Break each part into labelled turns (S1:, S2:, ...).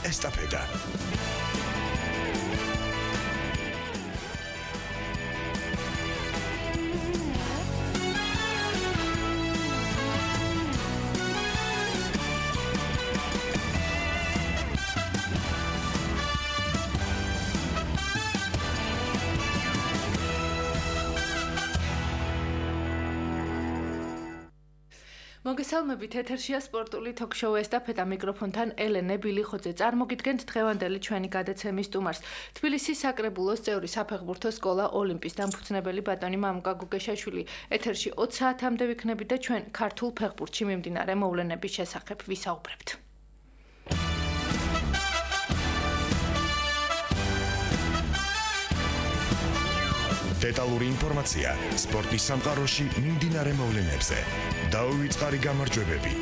S1: ესტაფეტა.
S2: მოგესალმებით, ეთერშია სპორტული თოქ-შოუ ესტაფეტა, მიკროფონთან ელენე ბილიხოძე. წარმოგიდგენთ დღევანდელი ჩვენი გადაცემის სტუმარს. თბილისის საკრებულოს წევრი საფეხბურთო სკოლა ოლიმპის დამფუძნებელი ბატონი მამუკა გუგეშაშვილი. ეთერში 20 საათამდე ვიქნებით და ჩვენ ქართულ ფეხბურთში მიმდინარე მოვლენების შესახებ ვისაუბრებთ.
S1: დეტალური ინფორმაცია სპორტის სამყაროში მიმდინარე მოვლენებზე. დაუვიწყარი გამარჯვებები,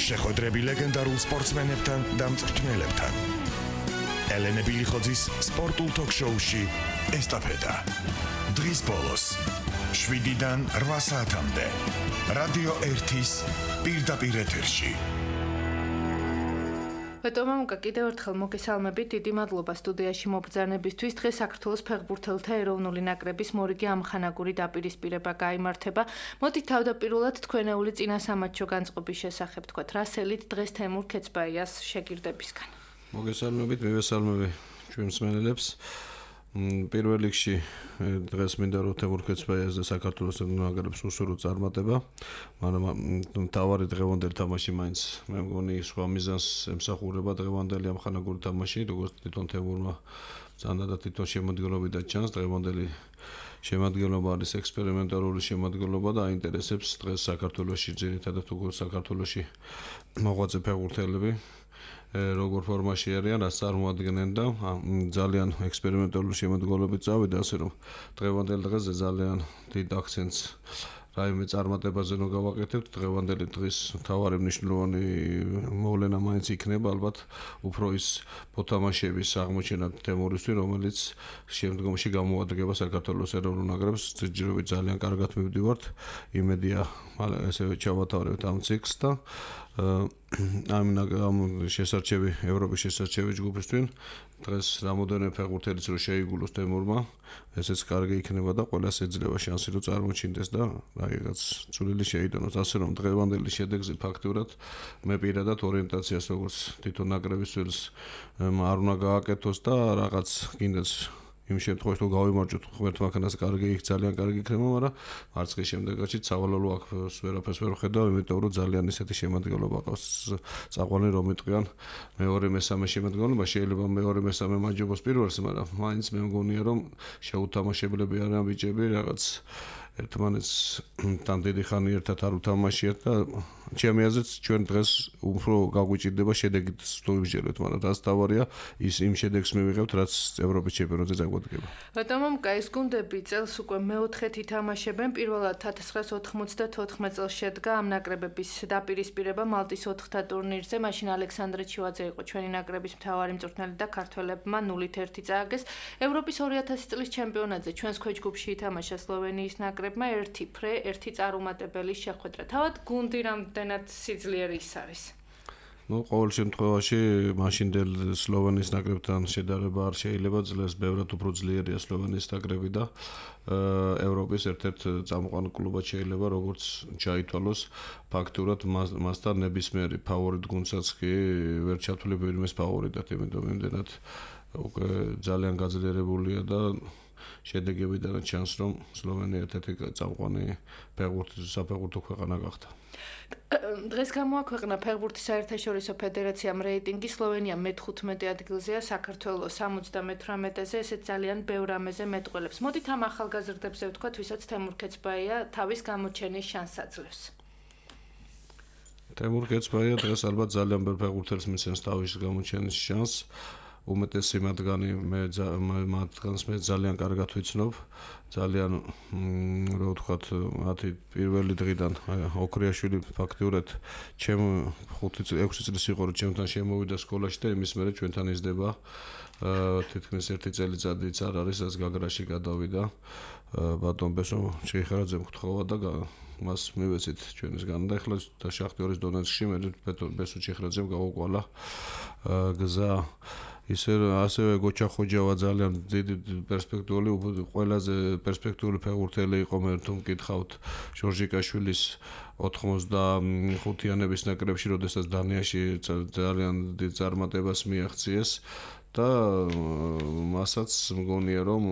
S1: შეხვედრები ლეგენდარულ სპორტსმენებთან და მწვრთნელებთან. ელენე ბილიხოძის სპორტულ თოქ-შოუში ესტაფეტა. დღის ბოლოს 7-დან 8 საათამდე რადიო 1-ის პირდაპირ ეთერში.
S2: ბატონო მამუკა, კიდევ ერთხელ მოგესალმებით, დიდი მადლობა სტუდიაში მობრძანებისთვის. დღეს საქართველოს ფეხბურთელთა ეროვნული ნაკრების მორიგი ამხანაგური დაპირისპირება გაიმართება. მოდით თავდაპირველად თქვენეული წინასამატჩო განწყობის შესახებ თქვათ, რა სელით დღეს თემურ ქეცბაიას შეგირდებისგან.
S3: მოგესალმებით, მივესალმები ჩვენ მსმენელებს. პირველ რიგში დღეს მინდა რომ თემურ ქეცბაიას და საქართველოს ნაკრებს უსურო წარმატება, მაგრამ თავარი დღევანდელი თამაში მაინც მე მგონი სხვა მიზანს ემსახურება დღევანდელი ამხანაგური თამაში, როგორც თვითონ თემურმა ზანდა და თვითონ შემოდგენლობიდან ჩანს, დღევანდელი შემოდგენლობა არის ექსპერიმენტალური შემოდგენლობა და აინტერესებს დღეს საქართველოში ძირითადად უკვე საქართველოში მოღვაწე ფეხბურთელები როგორ ფორმაში არიან, რაც წარმოადგენენ და ძალიან ექსპერიმენტალური შემოდგენლობით წავიდა, ასე რომ დღევანდელ დღეზე ძალიან დიდ აქცენტს რაიმე წარმატებაზე რომ გავაკეთებთ, დღევანდელი დღის მთავარი მნიშვნელოვანი მოვლენა მაინც იქნება ალბათ უფრო ის მოთამაშეების აღმოჩენა თემურისთვის, რომელიც შემდგომში გამოადგება საქართველოს ეროვნულ ნაკრებს. ჯერჯერობით ძალიან კარგად მივდივართ, იმედია ესე ჩავატარებთ ამ ციკლს და ამ შესარჩევი ევროპის შესარჩევი ჯგუფისთვის დღეს რამოდენიმე ფეხბურთელიც რო შეიგულოს თემურმა, ესეც კარგი იქნება და ყველას ეძლევა შანსი რომ წარმოჩინდეს და რაღაც წვლილი შეიტანოს. ასე რომ დღევანდელი შედეგზე ფაქტურად მე პირადად ორიენტაციას როგორც თვითონ ნაკრების წელს არ უნდა გააკეთოს და რაღაც კიდეც იმ შემთხვევაში რომ გავიმარჯვოთ ღმერთმანქანას კარგი იქ ძალიან კარგი იქნება, მაგრამ მარცხის შემდეგში სავალალო აქ ვერაფერს ვერ ვხედავ, იმიტომ რომ ძალიან ისეთი შემოდგენლობა ყავს წაყვანი რომ იტყვიან მეორე მესამე შემოდგენლობა შეიძლება მეორე მესამე მაჯობოს პირველს, მაგრამ მაინც მე მგონია რომ შეუთამაშებლები არიან ბიჭები რაღაც ერთმანეთს თან დიდი ხანი ერთად არ უთამაშიათ და ჩემი აზრით ჩვენ დღეს უფრო გაგვიჭირდება შედეგით თუ ვიბჯერებთ, მაგრამ რაც თავარია ის იმ შედეგს მივიღებთ, რაც ევროპის ჩემპიონატზე წაგვადგება.
S2: ბატონო მამუკა, ეს გუნდები წელს უკვე მეოთხედ ითამაშებენ. პირველად 1994 წელს შედგა ამ ნაკრებების დაპირისპირება მალტის 4-თა ტურნირზე. მაშინ ალექსანდრე ჩივაძე იყო ჩვენი ნაკრების მთავარი მწვრთნელი და ქართველებმა 0-1 წააგეს. ევროპის 2000 წლის ჩემპიონატზე ჩვენს ქვეჯგუფში ითამაშა სლოვენიის ნაკრებმა 1 ფრე, 1 წარუმატებელი შეხვედრა. თავად გუნდი რამდენად სიძლიერე ის არის?
S3: ყოველ შემთხვევაში მაშინდელ სლოვენიის ნაკრებთან შედარება არ შეიძლება, ძლიერს ბევრად უფრო ძლიერია სლოვენიის ნაკრები და ევროპის ერთ-ერთ წამყვან კლუბად შეიძლება როგორც ჩაითვალოს ფაქტურად მასთან ნებისმიერი ფავორიტ გუნდსაც კი ვერ ჩათვლება ვინმეს ფავორიტად, იმიტომ იმდენად უკვე ძალიან გაძლიერებულია და შედეგებიდან ჩანს რომ სლოვენია ერთ-ერთი წამყვანი საფეხბურთო ქვეყანა გახდა.
S2: დღეს გამოაქვეყნა ფეხბურთის საერთაშორისო ფედერაციამ რეიტინგი, სლოვენია მე-15 ადგილზეა, საქართველოს 78-ზე, ესეც ძალიან ბევრ ამეზე მეტყველებს. მოდით ამ ახალგაზრდებზე ვთქვათ, ვისაც თემურ ქეცბაია თავის გამოჩენის შანსს აძლევს.
S3: თემურ ქეცბაია დღეს ალბათ ძალიან ბევრ ფეხბურთელს მისცემს თავის გამოჩენის შანსს. უმეტესი მათგანს მე ძალიან კარგად ვიცნობ, ძალიან რა ვთქვათ, მათი პირველი დღიდან ოქრიაშვილი ფაქტურად ჩემ 5-6 წლის იყო რომ ჩემთან შემოვიდა სკოლაში და იმის მერე ჩვენთან იზრდება თითქმის 1 წელიწადიც არ არის, რაც გაგრაში გადავიდა. ბატონ ბესო ჩიხარაძემ გთხოვა და მას მივეცით ჩვენისგან და ეხლა და შახტიორის დონეცკში მე ბესუჩ ხრაძემ გაუყვალა გზა ასევე გოჩა ხოჯავა ძალიან დიდი პერსპექტიული ყველაზე პერსპექტიული ფეხბურთელი იყო მე თუ მკითხავთ ჟორჟიკაშვილის 85-იანების ნაკრებში როდესაც დანიაში ძალიან დიდ წარმატებას მიაღწიეს და მასაც მგონია რომ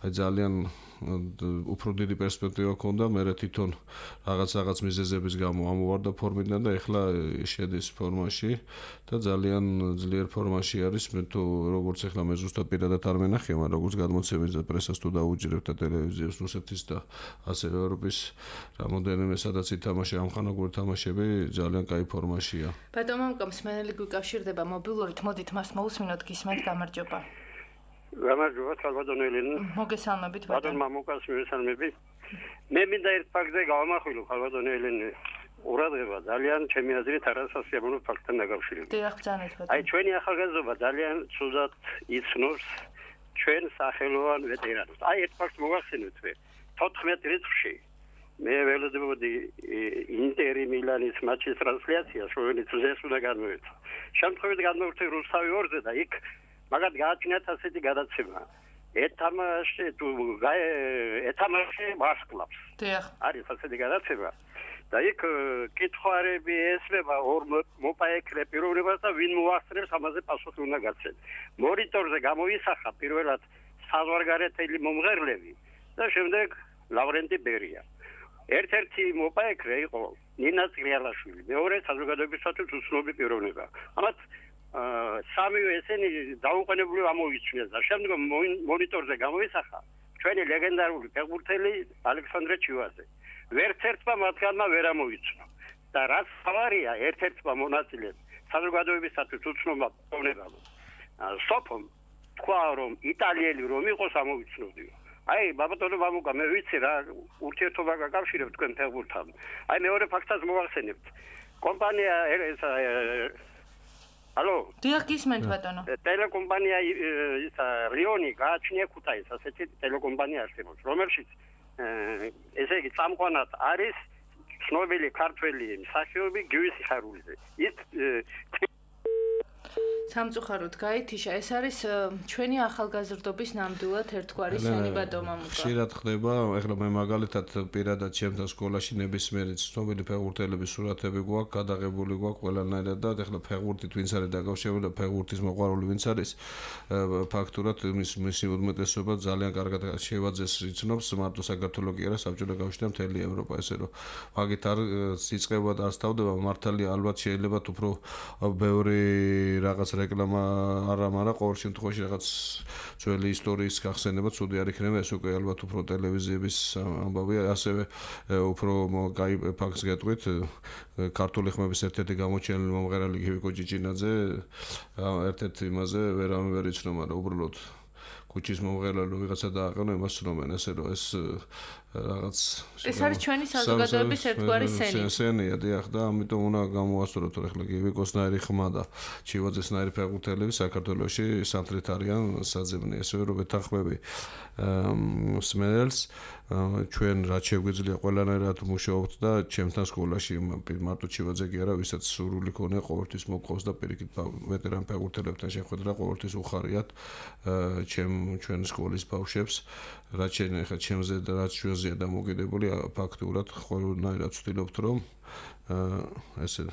S3: აი ძალიან უფრო დიდი პერსპექტივა ჰქონდა მე თვითონ რაღაც მიზეზების გამო ამოვარდა ფორმიდან და ეხლა შედის ფორმაში და ძალიან ძლიერ ფორმაში არის მე თუ როგორც ეხლა მე ზუსტად პირადად არ მენახია მაგრამ როგორც გადმოცემის და პრესას თუ დაუჯერებ და ტელევიზიას რუსეთის და ასევე ევროპის რამოდენიმე სადაც ითამაშა ამხანაგური თამაშები ძალიან კაი ფორმაშია
S2: ბატონო მსმენელი გვიკავშირდება მობილურით მოდით მას მოусმინოთ გისმენთ გამარჯობა
S4: გამარჯობა სალვადორ ელენე
S2: მოგესალმებით
S4: ბატონო მამუკას მივესალმები მე მინდა ერთ ფაქტზე გავამახვილო სალვადორ ელენე ურადღება ძალიან ჩემი აზრით არასასიამოვნო ფაქტთან დაკავშირებით
S2: დიახ ბრძანეთ ბატონო
S4: აი ჩვენი ახალგაზრდობა ძალიან ცუდად იცნობს ჩვენ სახელოვან ვეტერანებს აი ერთ ფაქტს მოგახსენებთ მე 14 რიცხვში მე ველოდებოდი ინტერი მილანის მატჩის ტრანსლაციას რომელიც ზეს უნდა განმოვეცა შემთხვევით განმოვეცე რუსთავი 2-ზე და იქ მაგათ გააჩნიათ ასეთი გადაცემა ეთამაშე ვარსკვლავს
S2: დიახ
S4: არის ასეთი გადაცემა და იქ კითხვარები ესმება ორ მოპაექრე პიროვნებას და ვინ მოახსნებს ამაზე პასუხი უნდა გაცენ მონიტორზე გამოისახა პირველად საზღვარგარეთელი მომღერლები და შემდეგ ლავრენტი ბერია ერთ-ერთი მოპაექრე იყო ნინა წრიალაშვილი მეორე საზოგადოებისათვის უცნობი პიროვნება ამათ სამივე ესენი დაუყენებლივ ამოიცნეს და შემდგომ მონიტორზე გამოისახა ჩვენი ლეგენდარული ფეხბურთელი ალექსანდრე ჩივაძე ვერც ერთმა მათგანმა ვერ ამოიცნო და რაც ავარია ერთ-ერთმა მონაწილემ საზოგადოებისათვის უცნობმა პიროვნებამ სოფომ თქვა რომ იტალიელი რომ იყოს ამოიცნობდიო აი ბაბატონო მამუკა მე ვიცი რა ურთიერთობა გაკავშირებ თქვენ ფეხბურთთან აი მეორე ფაქტსაც მოვახსენებთ კომპანია ალო
S2: დიახ გისმენთ ბატონო
S4: ტელეკომპანია რიონი გააჩნია ქუთაისს ასეთი ტელეკომპანია არსებობს რომელშიც ესე იგი წამყვანად არის ცნობილი ქართველი მსახიობი გივისი ხარულიძე ის
S2: სამწუხაროდ გაითიშა ეს არის ჩვენი ახალგაზრდობის ნამდვილად ერთგვარი სენი ბატონო მამუკა
S3: ხშირად ხდება ეხლა მე მაგალითად პირადად ჩემთან სკოლაში ნებისმიერი ცნობილი ფეხბურთელების სურათები გვაქვს გადაღებული გვაქვს ყველანაირად და ეხლა ფეხბურთით ვინც არის დაკავშირებული და ფეხბურთის მოყვარული ვინც არის ფაქტურად მისი უმეტესობა ძალიან კარგად შევაძეს იცნობს მარტო საქართველოს კი არა საბჭოთა კავშირი და მთელი ევროპა ესე რომ მაგით არ სიწყება და არ სწავდება მართალია ალბათ შეიძლება უფრო ბევრი რაღაც რეკლამა არა, მაგრამ ყოველ შემთხვევაში რაღაც ძველი ისტორიის გახსენება ცუდი არ იქნება, ეს უკვე ალბათ უფრო ტელევიზიების ამბავია, ასევე უფრო კაი ფაქტს გეტყვით, ქართული ხმების ერთ-ერთი გამოჩენილი მომღერალი გივიკო ჭიჭინაძე ერთ-ერთი იმაზე ვერ იცნო, მაგრამ უბრალოდ ქუჩის მომღერალი ვიღაცა დააყენო, იმას ცნობენ, ესე რომ ეს რაღაც
S2: ეს არის ჩვენი საზოგადოების ერთგვარი
S3: სენია, დიახ და ამიტომ უნდა გამოასწოროთ, რომ ახლა გივიკოსნაირი ხმა და ჩივაძესნაირი ფეხბურთელები საქართველოში სამთრით არიან საძებნი, ესე რომ ვეთანხმები მსმენელს ჩვენ რაც შეგვიძლია ყველანაირად მუშაობთ და ჩემთან სკოლაში მარტო ჩივაძე კი არა, ვისაც სურვილი ქონია ყოველთვის მოგყავს და პირიქით ვეტერან ფეხბურთელებთან შეხვედრა ყოველთვის უხარიათ ჩვენ სკოლის ბავშვებს რაც ახლა ჩემზე და რაც ჩვენზეა დამოკიდებული ფაქტურად ყველანაირად ვცდილობთ რომ ესე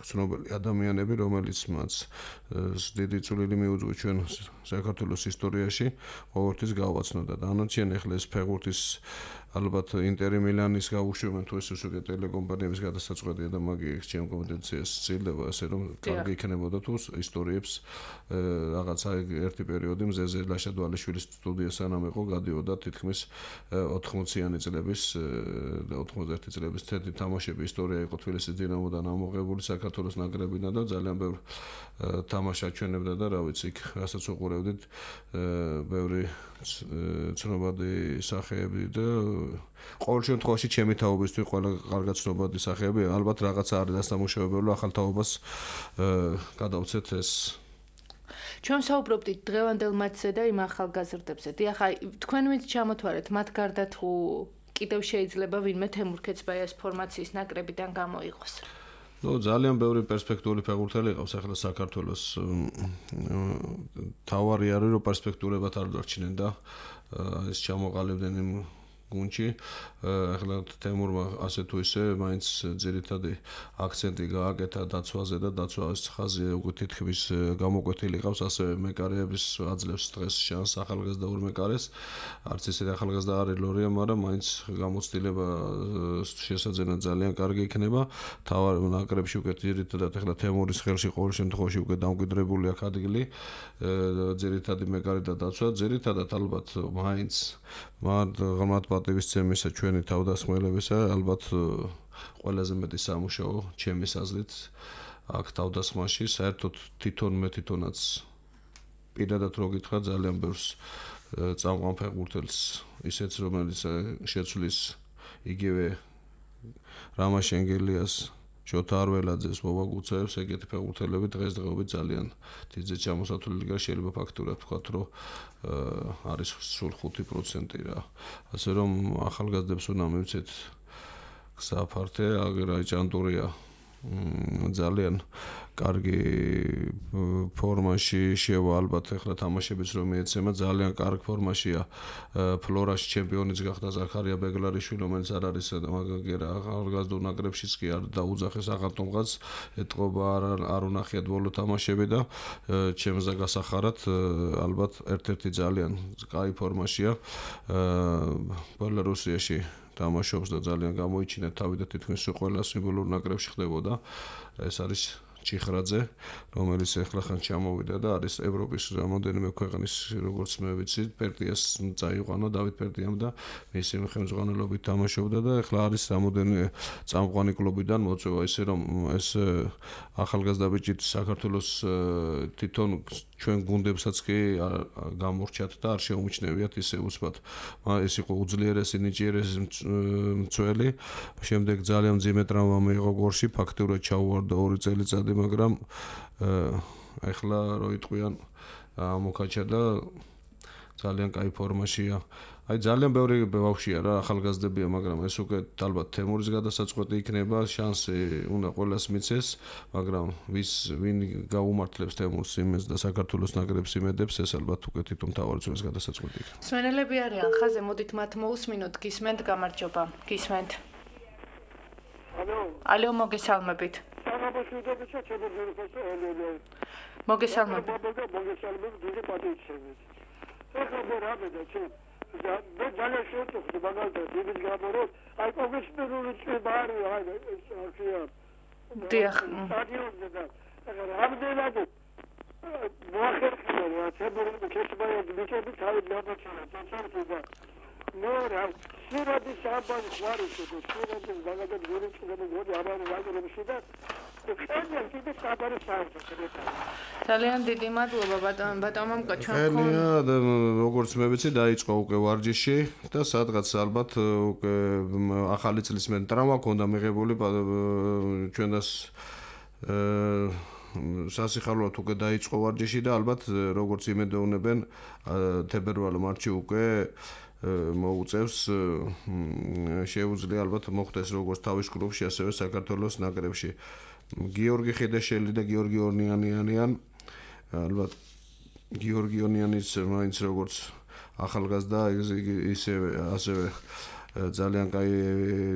S3: ცნობილი ადამიანები რომელიც მათ დიდი წვლილი მიუძღვა ჩვენ საქართველოს ისტორიაში ყოველთვის გავაცნო და ანონციან ახლა ეს ფეხბურთის ალბათ ინტერი მილანის გაუშვებენ თუ ეს უკვე ტელეკომპანიების გადასაწყვეტია და მაგის ჩემ კომპეტენციას ცილდება ასე რომ კარგი იქნებოდა თუ ისტორიებს რაღაცა ერთი პერიოდი მზეზე ლაშა დვალიშვილის სტუდია სანამ იყო გადიოდა თითქმის 80-იანი წლების და 91 წლების თეთრი თამაშები ისტორია იყო თბილისის დინამოდან ამოღებული საქართველოს ნაკრებიდან და ძალიან ბევრ თამაშს აჩვენებდა და რა ვიცი იქ რასაც უყურებდით ბევრი ცნობადი სახეები და ყოველ შემთხვევაში ჩემი თაობისთვის ყველა კარგად ცნობადი სახეები ალბათ რაღაცა არის დასამუშავებელი ახალ თაობას გადავცეთ ეს
S2: ჩვენ საუბრობდით დღევანდელ მატჩზე და იმ ახალგაზრდებზე. დიახ, აი თქვენ ვინც ჩამოთვარეთ მათ გარდა თუ კიდევ შეიძლება ვინმე თემურ ქეცბაიას ფორმაციის ნაკრებიდან გამოიღოს.
S3: ძალიან ბევრი პერსპექტიული ფეხბურთელი ყავს ახლა საქართველოს. თავარი არის რომ პერსპექტულებად არ დარჩნენ და ეს ჩამოყალიბდნენ იმ გუნდში. ახლა თემურმა ასე თუ ისე მაინც ძირითადი აქცენტი გააკეთა დაცვაზე და დაცვის ხაზი უკვე თითქმის გამოკვეთილი ყავს, ასევე მეკარეების აძლევს დღეს შანსს ახალგაზრდა მეკარეს. არც ისე ახალგაზრდა არის ლორია, მაგრამ მაინც გამოცდილება შესაძენად ძალიან კარგი იქნება. თავარ ნაკრებში უკვე ძირითადად ახლა თემურის ხელში ყოველ შემთხვევაში უკვე დამკვიდრებული აქ ადგილი. ძირითადი მეკარე და დაცვა, ძირითადად ალბათ მაინც მათ პატივისცემისა ჩვენი თავდასხმელებისა ალბათ ყველაზე მეტი სამუშაო ჩემის აზრით აქ თავდასხმაში საერთოდ თვითონაც პირადად რო გითხრა ძალიან ბევრს წამყვან ფეხბურთელს ისეც რომელიც შეცვლის იგივე რამაშ ენგელიას შოთა არველაძეს მოვაგუცებს ეგეთი ფეხბურთელები დღესდღეობით ძალიან დიდ ჩამოსათვლელი გა შეიძლება ფაქტურად ვთქვათ რომ არის სულ 5% რა ასე რომ ახალგაზრდებს უნდა მივცეთ გზაფართე აგერაი ჭანტურია ძალიან კარგი ფორმაში შევა ალბათ ახლა თამაშებიც რომ მიეცემა ძალიან კარგ ფორმაშია ფლორაში ჩემპიონიც გახდა ზაქარია ბეგლარიშვილი რომელიც არ არის მაგერა ახალგაზრდა ნაკრებშიც კი არ დაუძახეს აღარ ეთყობა არ უნახიათ ბოლო თამაშები და ჩემზე გასახარად ალბათ ერთ-ერთი ძალიან კაი ფორმაშია ბელარუსიაში თამაშობს და ძალიან გამოიჩინა თავი და თითქმის ყველა სიმბოლურ ნაკრებში ხდებოდა ეს არის ჩიხრაძე რომელიც ახლა ხან ჩამოვიდა და არის ევროპის რამოდენიმე ქვეყნის როგორც მე ვიცი პერტიას წაიყვანა დავით პერტიამ და მისი ხელმძღვანელობით თამაშობდა და ახლა არის რამოდენიმე წამყვანი კლუბიდან მოწვევა ისე რომ ეს ახალგაზრდა ბიჭი საქართველოს თვითონ ჩვენ გუნდებსაც კი გამორჩათ და არ შეუმჩნევიათ ისე უცბად ეს იყო უძლიერესი ნიჭიერესი მცველი შემდეგ ძალიან მძიმე ტრავმა მიიღო გორში ფაქტურად ჩაუვარდა 2 წელიწადი მაგრამ ეხლა რო იტყვიან მოკაჩა და ძალიან კაი ფორმაშია აი ძალიან ბევრი ბავშვია რა ახალგაზრდებია მაგრამ ეს უკვე ალბათ თემურის გადასაწყვეტი იქნება შანსი უნდა ყველას მიცეს მაგრამ ვინ გაუმართლებს თემურს იმეს და საქართველოს ნაკრებს იმედებს ეს ალბათ უკვე თვითონ თავარიცობის გადასაწყვეტი იქნება
S2: სვენელები არიან ხაზე მოდით მათ მოусმინოთ გისმენთ გამარჯობა გისმენთ ალო მოგესალმებით
S5: მოგესალმებით და ძალიან შევწუხდი მაგალითად დიდი გამოროს აი პროფესიონალური წვებარი აი აქია
S2: დიახ
S5: სტადიონზე და რამდენად მოახერხებია თებური ქეცბაიას ბიჭები თავი გამოჩენა წარსულში და მორა სურათი საბანის ვარიში და სურათი მაგალითად გორიჩები გოდი აბანო ვაგრებში და
S2: ძალიან დიდი მადლობა ბატონო
S3: ჩვენ როგორც მე ვიცი დაიწყო უკვე ვარჯიში და სადღაც ალბათ უკვე ახალი წლის მე ტრავმა ქონდა მიღებული ჩვენას სასიხალოდ უკვე დაიწყო ვარჯიში და ალბათ როგორც იმედოვნებენ თებერვალ მარტში უკვე მოუწევს შეუძლია ალბათ მოხდეს როგორც თავის კლუბში ასევე საქართველოს ნაკრებში გიორგი ხიდაშელი და გიორგი ორნიანიანი ალბათ გიორგი ორნიანის მაინც როგორც ახალგაზრდა ასევე ძალიან კაი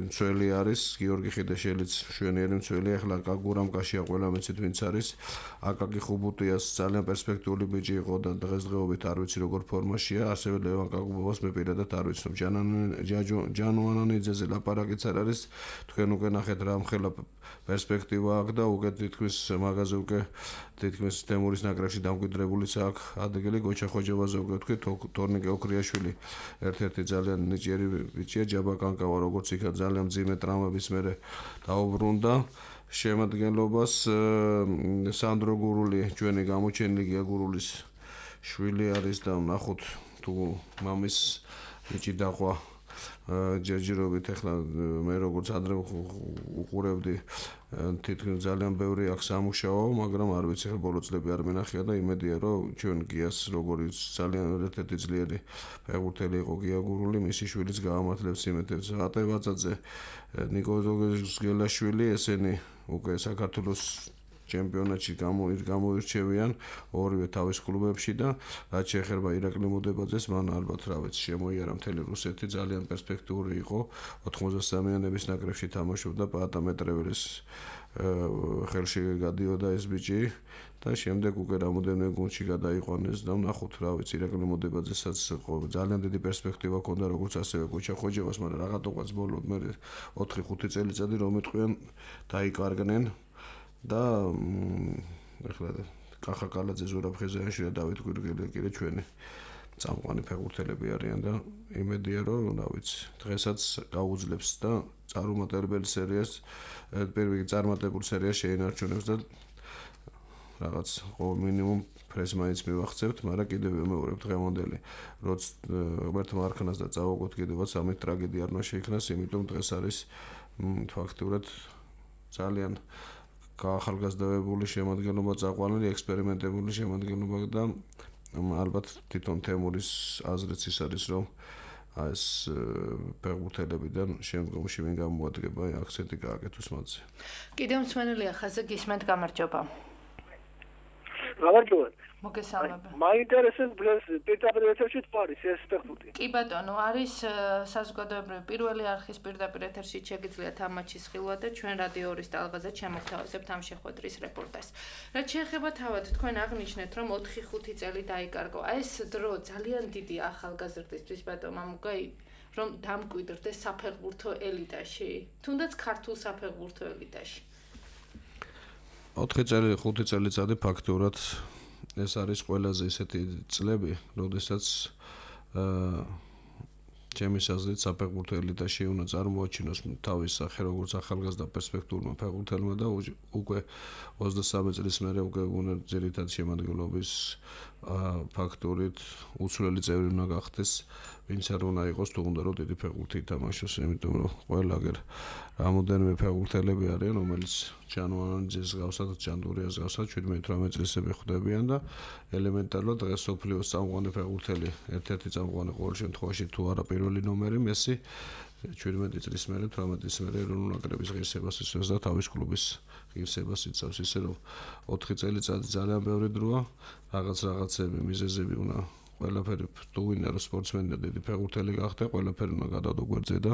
S3: მცველი არის გიორგი ხიდაშელიც შვენიერი მცველი ახლა გურამ კაშია ყველა მეცით ვინც არის აკაკი ხუბუტიას ძალიან პერსპექტიული ბიჭი იყო და დღესდღეობით არ ვიცი როგორ ფორმაშია ასევე ლევან კაკუბოვას მე პირადად არ ვიცნობ ჯანუანანიძეზე ლაპარაკიც არ არის თქვენ უკვე ნახეთ რა მხელა პერსპექტივა აქვს და უკვე თითქმის მაგაზე უკვე თითქმის თემურის ნაკრებში დამკვიდრებულიც აქვს ადგილი გოჩა ხოჯევაზე უკვე თქვი თორნიკე ოქრიაშვილი ერთ-ერთი ძალიან ნიჭიერი ბიჭია ჯაბა კანკავა როგორც იქა ძალიან მძიმე ტრავმების მერე დაუბრუნდა შემადგენლობას სანდრო გურული ჩვენი გამოჩენილი გია გურულის შვილი არის და ნახოთ თუ მამის ბიჭი დახვა ჯერჯერობით ახლა მე როგორც ადრე უყურებდი თითქმის ძალიან ბევრი აქვს სამუშაო, მაგრამ არ ვიცი ხა ბოლო წლები არ მენახია და იმედია რომ ჩვენ გიას როგორც ძალიან ერთ-ერთი ძლიერი ფეხბურთელი იყო გია გურული, მისი შვილიც გაამართლებს იმედებს. ატე ვაძაძე, ნიკო ზოგელიშვილი, ესენი უკვე საქართველოს ჩემპიონატში გამოირჩევიან ორივე თავის კლუბებში და რაც შეეხება ირაკლი მოდებაძეს, მან ალბათ რა ვიცი შემოიარა მთელი რუსეთი, ძალიან პერსპექტიული იყო, 93-იანების ნაკრებში თამაშობდა პაატა მეტრეველის ხელში გადიოდა ეს ბიჭი და შემდეგ უკვე რამოდენიმე გუნდში გადაიყვანეს და ნახოთ რა ვიცი ირაკლი მოდებაძესაც ძალიან დიდი პერსპექტივა ჰქონდა როგორც ასევე კუჩა ხოჯევას, მაგრამ რაღაცა ბოლოდ მე 4-5 წელიწადი რომ იტყვიან დაიკარგნენ და ახლა კახა კალაძე, ზურაბ ხეზიანიშვილი და დავით გვირგელი კიდე ჩვენი წამყვანი ფეხბურთელები არიან და იმედია რომ რა ვიცი დღესაც გაუძლებს და წარუმატებელი სერიას პირველი წარმატებულ სერიას შეინარჩუნებს და რაღაც მინიმუმ ფრეს მაინც მივახცევთ, მაგრამ კიდევ ვიმეორებ დღევანდელი როც ღმერთ მარხნას და წავაგოთ კიდევაც ამით ტრაგედია არ უნდა შეიქმნას, იმიტომ დღეს არის ფაქტურად ძალიან გაახალგაზრდებული შემადგენლობა წაყვანილი, ექსპერიმენტებული შემადგენლობა და ალბათ თვითონ თემურის აზრიც ის არის, რომ ეს ფეხბურთელებიდან შემდგომში ვინ გამოადგება აქცენტი გააკეთოს მათზე.
S2: კიდევ მსმენელია ხაზზე გისმენთ, გამარჯობა.
S5: გამარჯობა.
S2: მოგესალმები.
S5: მაინტერესებს ბლეს პირდაპირ ეთერში თვარის ეს ფეხბურთი.
S2: კი ბატონო, არის საზოგადოებრივი პირველი არხის პირდაპირ ეთერში შეგიძლიათ ამ მატჩის ხილვა და ჩვენ რადიო 2-ის ტალღაზე ჩამოგთავაზებთ ამ შეხვედრის რეპორტაჟს. რაც შეეხება თავად თქვენ აღნიშნეთ, რომ 4-5 წელი დაიკარგო. ეს დრო ძალიან დიდი ახალგაზრდისთვის ბატონო მამუკა რომ დამკვიდრდეს საფეხბურთო ელიტაში, თუნდაც ქართულ საფეხბურთო ელიტაში.
S3: 4 წელი, 5 წელიწადი ფაქტურად ეს არის ყველაზე ისეთი წლები, როდესაც ჩემი აზრით საფეხბურთო ელიტაში უნდა წარმოაჩინოს თავის სახე როგორც ახალგაზრდა პერსპექტიულმა ფეხბურთელმა და უკვე 23 წლის მერე უკვე უნდა ძირითადად შემადგენლობის ფაქტორით უცვლელი წევრი უნდა გახდეს, ვინც არ უნდა იყოს თუ უნდა რომ დიდი ფეხბურთი ითამაშოს, იმიტომ რომ ყველა გერ რამოდენიმე ფეხბურთელები არიან, რომელიც ჯანუარიძეს გავსად, ჯანდურიას გავსად 17-18 წლისები ხვდებიან და ელემენტარულად დღეს სოფლიოს წამყვანი ფეხბურთელი, ერთ-ერთი წამყვანი ყოველ შემთხვევაში თუ არა პირველი ნომერი მესი 17 წლის მერე 18 წლის მერე ეროვნულ ნაკრების ღირსებას იცავს და თავის კლუბის ღირსებას იცავს, ისე რომ 4 წელიწადი ძალიან ბევრი დროა, რაღაცები მიზეზები უნდა ყველაფერი თუ ვინმე რომ სპორტსმენი და დიდი ფეხბურთელი გახდა, ყველაფერი უნდა გადადო გვერდზე და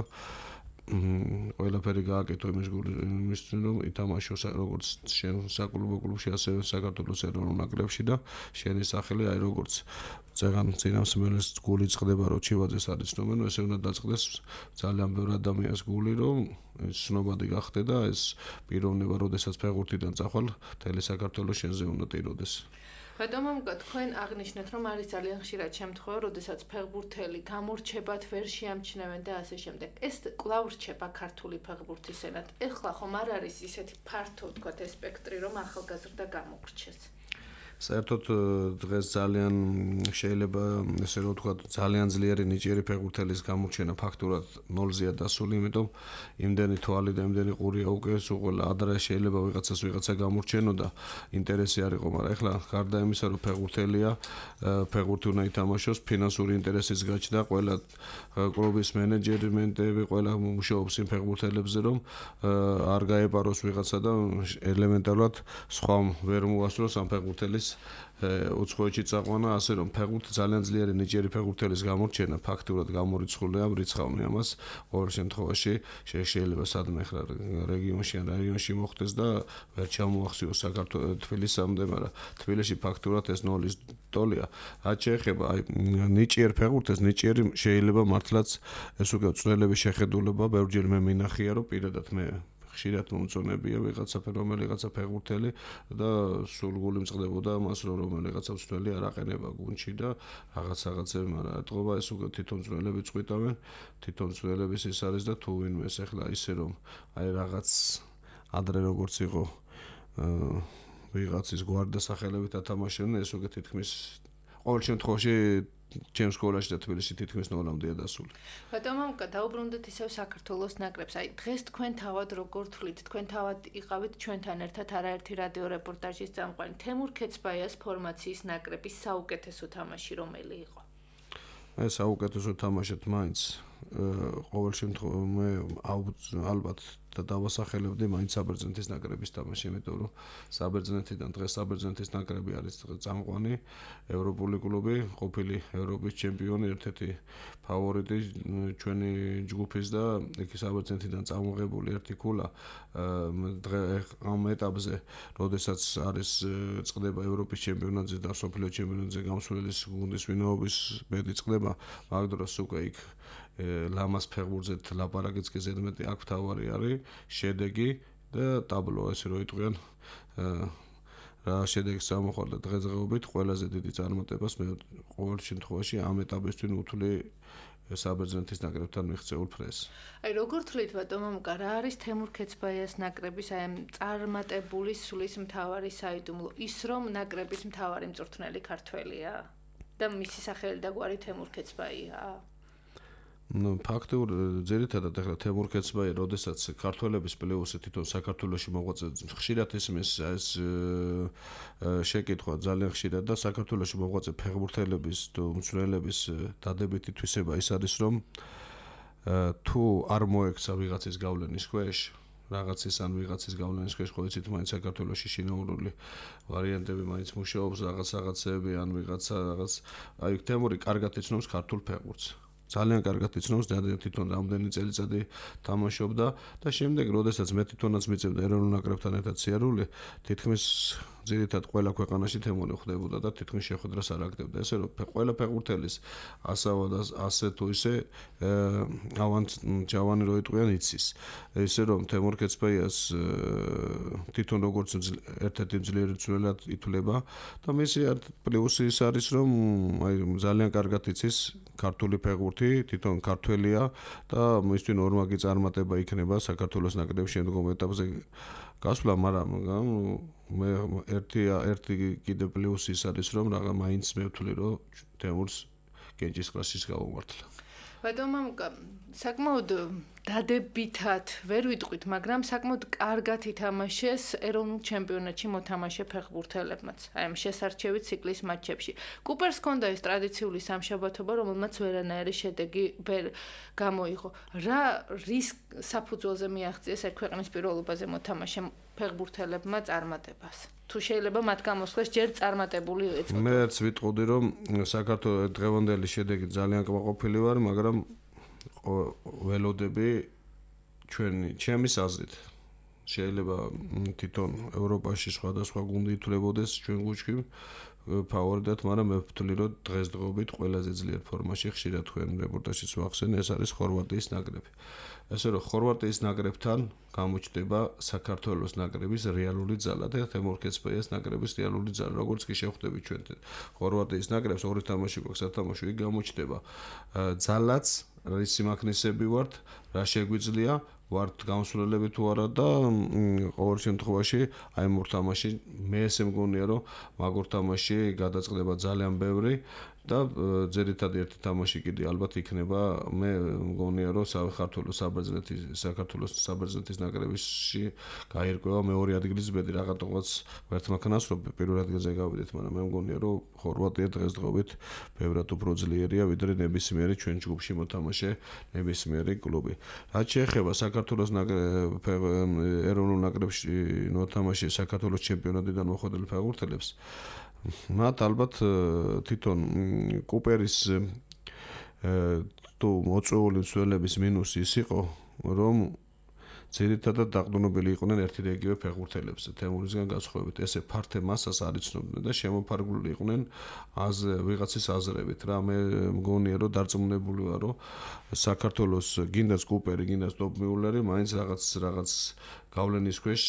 S3: ყველაფერი გააკეთო იმის რომ ითამაშოს როგორც შენ საკლუბო კლუბში, ასევე საქართველოს ეროვნულ ნაკრებში და შენი სახელი აი როგორც ზეგან წინამსმენელს გული წყდება რომ ჩივაძეს არის ნომერი, ესე უნდა დაწყდეს ძალიან ბევრ ადამიანს გული რომ ცნობადი გახდე და ეს პიროვნება როდესაც ფეხბურთიდან წახვალ მთელი საქართველოს შენზე უნდა ტიროდეს.
S2: ბატონო მამუკა, თქვენ აღნიშნეთ, რომ არის ძალიან ხშირად შემთხვევა, როდესაც ფეხბურთელი გამორჩებათ ვერ შეამჩნევენ და ასე შემდეგ. ეს კვლავ რჩება ქართული ფეხბურთისენად. ეხლა ხომ არ არის ისეთი ფართო, თქვათ, ეს სპექტრი, რომ ახალგაზრდა გამოგრჩეს.
S3: საერთოდ დღეს ძალიან შეიძლება ესე რომ ვთქვათ ძალიან ძლიერი ნიჭიერი ფეხბურთელის გამორჩენა ფაქტურად 0-ზეა დასული, იმიტომ იმდენი თვალი და იმდენი ყურია უკვე უყოლა ადრე შეიძლება ვიღაცა გამორჩენოდა ინტერესი არ იყო, მაგრამ ეხლა გარდა იმისა რომ ფეხბურთელია, ფეხბურთი უნდა ითამაშოს, ფინანსური ინტერესიც გაჩნდა, ყველა კლუბის მენეჯმენტები, ყველა მუშაობს იმ ფეხბურთელებზე, რომ არ გაეპაროს ვიღაცა და ელემენტარულად სხვა ვერ მოასწროს ამ ფეხბურთელის უცხოეთში წაყვანა, ასე რომ ფეხბურთი ძალიან ძლიერი ნიჭიერი ფეხბურთელის გამორჩენა ფაქტურად გამორიცხულია, მრიცხავნი ამას ყოველ შემთხვევაში შეიძლება სადმე ხარ რეგიონში ან რაიონში მოხდეს და ვერ ჩამოახციოს საქართველოს თბილისამდე, მაგრამ თბილისში ფაქტურად ეს 0-ის ტოლია. რაც შეეხება აი ნიჭიერ ფეხბურთელს, ნიჭიერი შეიძლება მართლაც ეს უკვე წვრილების შეხედულება, ბევრჯერ მე მინახია რომ პირადად მე ხშირად მომწონებია ვიღაცა ფეხბურთელი და სულგული მწყდებოდა მას რომ რომელიღაცა მცველი არ აყენება გუნდში და რაღაცები, მაგრამ ეთყობა ეს უკვე თვითონ მცველები წყვიტავენ, თვითონ მცველების ის არის და თუ ვინმე ეს ახლა ისე რომ აი რაღაც ადრე როგორც იყო ვიღაცის გვარდა სახელებით ათამაშებდნენ, ეს უკვე თითქმის ყოველ შემთხვევაში ჩემს სკოლაში და თბილისში თითქმის ნორმამდეა დასული.
S2: ბატონო, დაუბრუნდეთ ისევ საქართველოს ნაკრებს. აი, დღეს თქვენ თავად როგორ თვლით? თქვენ თავად იყავით ჩვენთან ერთად არაერთი რადიო რეპორტაჟის წამყვანი. თემურ ქეცბაიას ფორმაციის ნაკრების საუკეთესო თამაში რომელი იყო?
S3: მე საუკეთესო თამაშად მაინც ყოველ შემთხვევაში ალბათ და დავასახელებდი მაინც საბერძნეთის ნაკრების თამაში, იმიტომ რომ საბერძნეთიდან დღეს საბერძნეთის ნაკრები არის წამყვანი ევროპული კლუბი, ყოფილი ევროპის ჩემპიონი, ერთ-ერთი ფავორიტი ჩვენი ჯგუფის და იქ საბერძნეთიდან წამოღებული ერთი ქულა ამ ეტაპზე, როდესაც არის წყდება ევროპის ჩემპიონატზე და მსოფლიო ჩემპიონატზე გამსვლელის გუნდის ვინაობის ბედი წყდება, მაგ დროს უკვე იქ ლამას ფეხბურთზე ლაპარაკიც კი ზედმეტი აქ თავარი არის შედეგი და ტაბლო ესე რომ იტყვიან რა შედეგს ამოხარდა დღესდღეობით ყველაზე დიდი წარმატებას მე ყოველ შემთხვევაში ამ ეტაპისთვის უთვლი საბერძნეთის ნაკრებთან მიღწეულ ფრეს.
S2: აი როგორ თვლით ბატონო მუკა რა არის თემურ ქეცბაიას ნაკრების აი ამ წარმატებული სulis მთავარი საიდუმლო ის რომ ნაკრების მთავარი მწვრთნელი ქართველია და მისი სახელი და გვარი თემურ ქეცბაია?
S3: ფაქტობრივად ძირითადად ახლა თემურ ქეცბაია, როდესაც ქართველების პლეიოფში თვითონ საქართველოში მოღვაწე ხშირად ისმის ეს შეკითხვა ძალიან ხშირად და საქართველოში მოღვაწე ფეხბურთელების თუ მცველების დადებითი თვისება ის არის რომ თუ არ მოექცა ვიღაცის გავლენის ქვეშ რაღაცის ან ვიღაცის გავლენის ქვეშ ხო იცით მაინც საქართველოში შინაურული ვარიანტები მაინც მუშაობს რაღაცები ან ვიღაცა რაღაც აი თემური კარგად იცნობს ქართულ ფეხბურთს ძალიან კარგად იცნობს და თვითონ რამდენი წელიწადი თამაშობდა და შემდეგ როდესაც მე თვითონაც მიწევდა ეროვნულ ნაკრებთან ერთად სიარული თითქმის ძირითადად ყველა ქვეყანაში თემური ხდებოდა და თითქმის შეხვედრას არ აკეთებდა ესე რომ ყველა ფეხბურთელის ასავა და ასე თუ ისე ჯავანი რო იტყვიან იცის ესე რომ თემურ ქეცბაიას თვითონ როგორც ერთ-ერთი ძლიერი მცველად ითვლება და მისი პლუსი ის არის რომ აი ძალიან კარგად იცის ქართული ფეხბურთი თვითონ ქართველია და მისთვის ნორმალი წარმატება იქნება საქართველოს ნაკრების შემდგომ ეტაპზე გასვლა, მაგრამ მე ერთი კიდე პლუსი ის არის რომ რაღა მაინც მე ვთვლი რომ თემურს კენჭისყრაშიც გავუმართლა.
S2: ბატონო მამუკა, საკმაოდ დადებითად ვერ ვიტყვით, მაგრამ საკმაოდ კარგად ითამაშეს ეროვნულ ჩემპიონატში მოთამაშე ფეხბურთელებმაც. აი ამ შესარჩევი ციკლის მატჩებში. კუპერს ჰქონდა ეს ტრადიციული სამშაბათობა, რომელმაც ვერანაირი შედეგი ვერ გამოიღო. რა რის საფუძველზე მიაღწიეს ერთ ქვეყნის პირველობაზე მოთამაშე ფეხბურთელებმა წარმატებას? თუ შეიძლება მათ გამოსვლას ჯერ წარმატებული ეწოდათ.
S3: მეც ვიტყოდი რომ საქართველოს დღევანდელი შედეგი ძალიან კმაყოფილი ვარ, მაგრამ ველოდები ჩემის აზრით შეიძლება თვითონ ევროპაში სხვადასხვა გუნდი ითვლებოდეს ჩვენ გუჩქი ფავორიტად, მაგრამ მე ვთვლი რომ დღესდღეობით ყველაზე ძლიერ ფორმაში ხშირად თქვენ რეპორტაჟშიც ვახსენე ეს არის ხორვატიის ნაკრები. ესე რომ ხორვატიის ნაკრებთან გამოჩნდება საქართველოს ნაკრების რეალური ძალა და თემურ ქეცბაიას ნაკრების რეალური ძალა. როგორც კი შევხვდებით ჩვენ ხორვატიის ნაკრებს ორი თამაში გვაქვს სათამაშო იქ გამოჩნდება ძალაც რის სიმაქნესები ვართ, რა შეგვიძლია ვართ გამსვლელები თუ არა და ყოველ შემთხვევაში აი მორ თამაში მე ესე მგონია რომ მაგორ თამაში გადაწყდება ძალიან ბევრი და ძირითადად ერთი თამაში კიდე ალბათ იქნება მე მგონია რომ საქართველოს საბერძნეთის ნაკრებში გაირკვევა მეორე ადგილის ბედი რაღაცა ვერთმანქანას რომ პირველ ადგილზე გავიდეთ, მაგრამ მე მგონია რომ ხორვატია დღესდღეობით ბევრად უფრო ძლიერია ვიდრე ნებისმიერი ჩვენ ჯგუფში მოთამაშე ნებისმიერი კლუბი. რაც შეეხება საქართველოს ეროვნულ ნაკრებში მოთამაშე საქართველოს ჩემპიონატიდან მოხვედრილ ფეხბურთელებს მათ ალბათ თვითონ კუპერის თუ მოწვეული მცველების მინუსი ის იყო რომ ძირითადად დაყრდნობილი იყვნენ ერთი და იგივე ფეხბურთელებზე თემურისგან განსხვავებით ესე ფართე მასას არ იცნობდნენ და შემოფარგლული იყვნენ ვიღაცის აზრებით რა მე მგონია რომ დარწმუნებული ვარ რომ საქართველოს გინდას კუპერი გინდას ტოპ მიულერი მაინც რაღაც გავლენის ქვეშ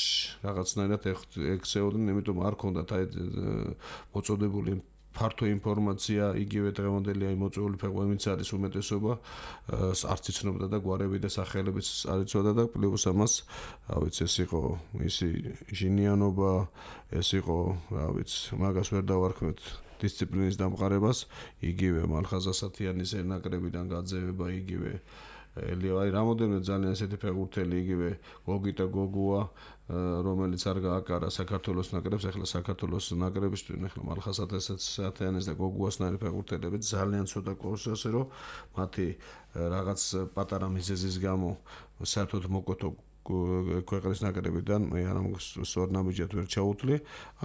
S3: რაღაცნაირად ექცეოდნენ, იმიტომ არ ქონდათ აი მოწოდებული ფართო ინფორმაცია იგივე დღევანდელი აი მოწვეული ფეხბურთის არის უმეტესობა არც იცნობდა და გვარები და სახელებიც არ იცოდა და პლუს ამას რა ვიცი ეს იყო ისი ჟინიანობა ეს იყო რა ვიცი მაგას ვერ დავარქმევთ დისციპლინის დამყარებას, იგივე მალხაზასათიანის ნაკრებიდან გაძევება, იგივე აი რამოდენიმე ძალიან ესეთი ფეხბურთელი, იგივე გოგიტა გოგუა, რომელიც არ გააკარა საქართველოს ნაკრებს, ახლა საქართველოს ნაკრებისთვის ახლა მალხაზასათიანის და გოგუასნაირი ფეხბურთელები ძალიან ცოტა ყავს, ასე რომ მათი რაღაც პატარა მიზეზის გამო საერთოდ მოკვეთო ქვეყნის ნაკრებიდან მე არ სწორ ნაბიჯად ვერ ჩაუთვლი.